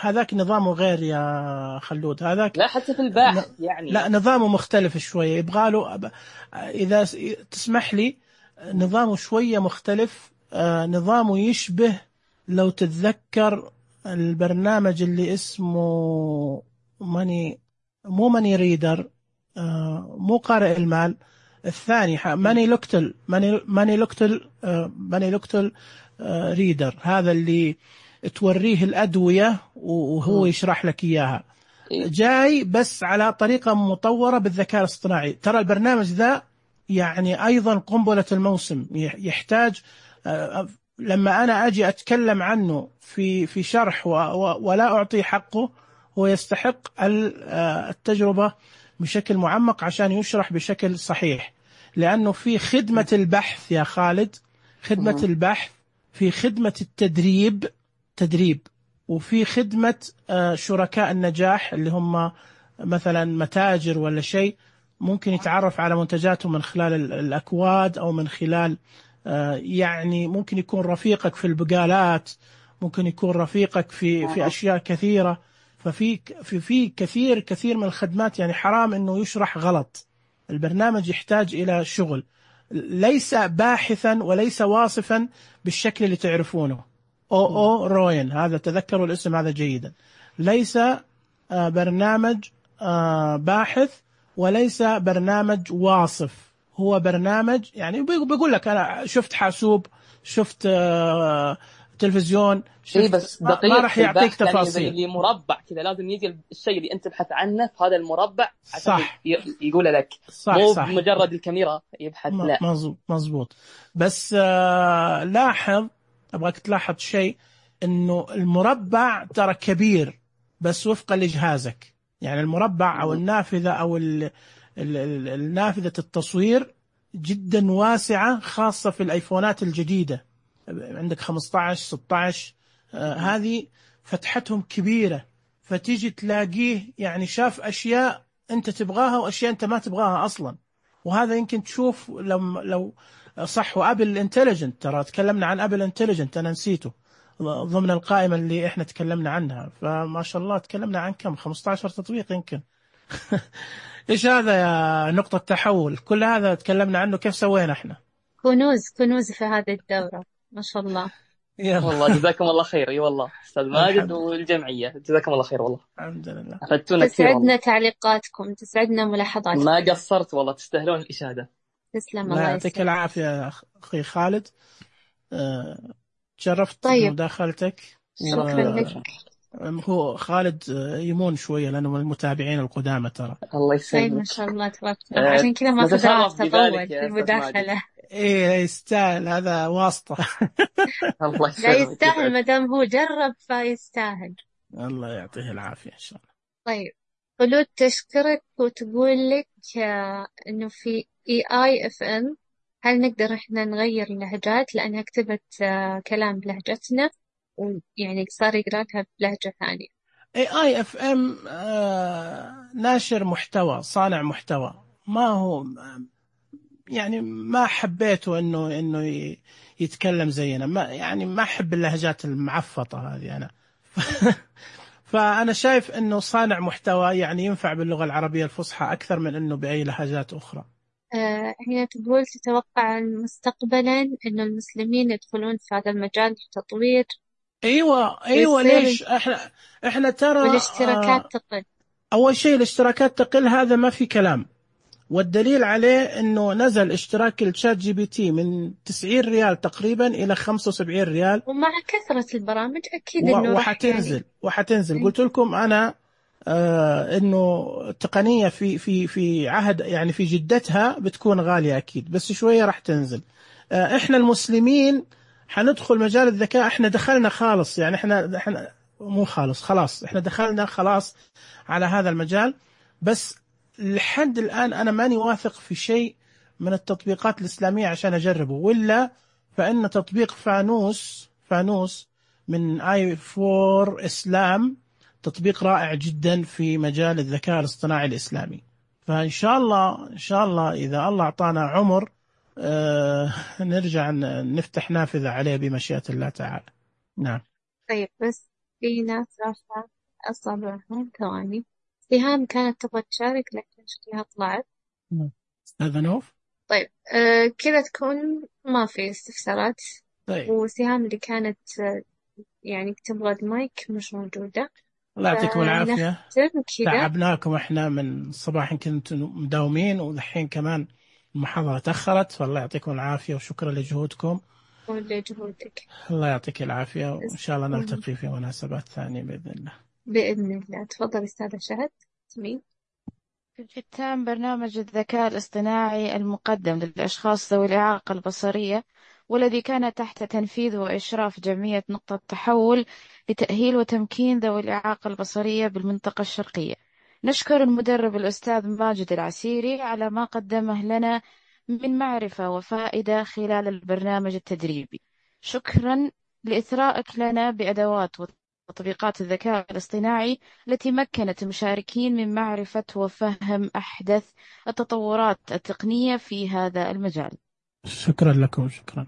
Speaker 1: هذاك نظامه غير يا خلود. هذاك
Speaker 17: لا حتى في البحث يعني
Speaker 1: لا نظامه مختلف شوية، يبغاله إذا تسمح لي نظامه شوية مختلف. نظامه يشبه لو تتذكر البرنامج اللي اسمه ماني مو ماني ريدر، مو قارئ المال الثاني، ماني لوكتل ماني ماني لوكتل ماني لوكتل ريدر، هذا اللي توريه الأدوية وهو يشرح لك إياها، جاي بس على طريقة مطورة بالذكاء الاصطناعي. ترى البرنامج ذا يعني أيضا قنبلة الموسم، يحتاج لما أنا أجي أتكلم عنه في في شرح ولا أعطي حقه، هو يستحق التجربة بشكل معمق عشان يشرح بشكل صحيح، لأنه في خدمة البحث يا خالد، خدمة البحث، في خدمة التدريب تدريب، وفي خدمة شركاء النجاح اللي هم مثلا متاجر ولا شيء، ممكن يتعرف على منتجاتهم من خلال الأكواد أو من خلال يعني ممكن يكون رفيقك في البقالات، ممكن يكون رفيقك في في أشياء كثيرة. ففي في في كثير كثير من الخدمات، يعني حرام إنه يشرح غلط. البرنامج يحتاج إلى شغل، ليس باحثا وليس واصفا بالشكل اللي تعرفونه. أو أو روين، هذا تذكروا الاسم هذا جيدا. ليس برنامج باحث وليس برنامج واصف، هو برنامج يعني بيقول لك أنا شفت حاسوب، شفت تلفزيون،
Speaker 17: إيه بس
Speaker 1: ما راح يعطيك تفاصيل.
Speaker 17: يعني اللي مربع كذا لازم يجي الشيء اللي أنت تبحث عنه في هذا المربع عشان
Speaker 1: صح.
Speaker 17: يقول لك
Speaker 1: صح
Speaker 17: مو
Speaker 1: صح.
Speaker 17: بمجرد الكاميرا يبحث، لا
Speaker 1: مزبوط مزبوط. بس آه لاحظ، أبغاك تلاحظ شيء، إنه المربع ترى كبير بس وفقا لجهازك. يعني المربع أو النافذة أو ال ال ال النافذة التصوير جدا واسعة، خاصة في الآيفونات الجديدة، عندك خمسة عشر ستة عشر، آه هذه فتحتهم كبيرة، فتيجي تلاقيه يعني شاف أشياء أنت تبغاها وأشياء أنت ما تبغاها أصلا. وهذا يمكن تشوف لو لو صح. وأبل انتليجنت، ترى تكلمنا عن أبل انتليجنت، أنا نسيته ضمن القائمة اللي إحنا تكلمنا عنها. فما شاء الله تكلمنا عن كم خمسة عشر تطبيق يمكن. إيش هذا يا نقطة تحول؟ كل هذا تكلمنا عنه، كيف سوينا إحنا؟
Speaker 2: كنوز كنوز في هذه الدورة ما شاء الله.
Speaker 17: والله جزاكم الله خير. اي والله استاذ ماجد والجمعيه جزاكم الله خير، والله
Speaker 1: الحمد لله
Speaker 17: افدتونا كثير.
Speaker 2: تسعدنا تعليقاتكم، تسعدنا ملاحظاتكم،
Speaker 17: ما قصرت والله، تستاهلون الاشاده.
Speaker 2: تسلم، الله
Speaker 1: يعطيك العافيه يا اخي خالد. أه... تشرفت
Speaker 2: طيب.
Speaker 1: بمداخلتك.
Speaker 2: شكرا و... لك.
Speaker 1: هو خالد يمون شويه لانه من المتابعين القدامى ترى.
Speaker 17: الله يسلمك.
Speaker 2: طيب ما شاء الله تبارك الله، عشان كذا ما قدرت تطول في المداخله.
Speaker 1: ايه يستاهل، هذا واسطة.
Speaker 17: الله
Speaker 2: يسلمك. لا يستاهل، ما دام هو جرب فيستاهل.
Speaker 1: الله يعطيه العافية ان شاء الله.
Speaker 2: طيب خلود تشكرك وتقول لك انه في اي اي اف ام هل نقدر احنا نغير اللهجات، لانها كتبت كلام بلهجتنا ويعني صار يقرأ لها بلهجة ثانية.
Speaker 1: اي اي اف ام ناشر محتوى، صانع محتوى، ما هو يعني ما حبيته انه انه يتكلم زينا، ما يعني ما احب اللهجات المعفطه هذه انا. فانا شايف انه صانع محتوى يعني ينفع باللغه العربيه الفصحى اكثر من انه باي لهجات اخرى.
Speaker 2: آه هنا تقول تتوقع مستقبلا انه المسلمين يدخلون في هذا المجال التطوير؟
Speaker 1: ايوه ايوه ليش احنا احنا ترى
Speaker 2: والاشتراكات آه تقل.
Speaker 1: اول شيء الاشتراكات تقل، هذا ما في كلام، والدليل عليه انه نزل اشتراك الشات جي بي تي من تسعين ريال تقريبا الى خمسة وسبعين ريال،
Speaker 2: ومع كثرة البرامج اكيد
Speaker 1: و...
Speaker 2: انه
Speaker 1: وحتنزل يعني... وحتنزل م. قلت لكم انا آه انه التقنية في في في عهد يعني في جدتها بتكون غالية اكيد، بس شوية راح تنزل. آه احنا المسلمين حندخل مجال الذكاء، احنا دخلنا خالص، يعني احنا احنا مو خالص خلاص احنا دخلنا خلاص على هذا المجال. بس لحد الآن أنا ماني واثق في شيء من التطبيقات الإسلامية عشان أجربه، ولا فإن تطبيق فانوس فانوس من آي فور إسلام تطبيق رائع جدا في مجال الذكاء الاصطناعي الإسلامي. فإن شاء الله إن شاء الله إذا الله أعطانا عمر آه نرجع نفتح نافذة عليه بمشيئة الله تعالى. نعم.
Speaker 2: طيب بس في ناس رافعة أصابعهم، ثواني. سهام كانت تبغى تشارك لكن شكلها طلعت.
Speaker 1: أستاذ نوف.
Speaker 2: طيب آه كذا تكون ما في استفسارات.
Speaker 1: طيب.
Speaker 2: وسهام اللي كانت آه يعني تبغى المايك مش موجودة.
Speaker 1: الله يعطيكم العافية.
Speaker 2: كذا
Speaker 1: تعبناكم احنا من الصباح، كنتوا مداومين والحين كمان المحاضرة تأخرت، فالله يعطيكم العافية وشكرا لجهودكم.
Speaker 2: ولجهودك.
Speaker 1: الله يعطيك العافية، وإن شاء الله نلتقي في مناسبات ثانية بإذن الله.
Speaker 2: بإذن الله. تفضل أستاذة شهد. تمين.
Speaker 14: في ختام برنامج الذكاء الاصطناعي المقدم للأشخاص ذوي الإعاقة البصرية، والذي كان تحت تنفيذ وإشراف جمعية نقطة تحول لتأهيل وتمكين ذوي الإعاقة البصرية بالمنطقة الشرقية، نشكر المدرب الأستاذ ماجد العسيري على ما قدمه لنا من معرفة وفائدة خلال البرنامج التدريبي. شكرا لإثرائك لنا بأدوات وتطبيقات الذكاء الاصطناعي التي مكنت المشاركين من معرفة وفهم أحدث التطورات التقنية في هذا المجال.
Speaker 1: شكرا لكم. شكرا.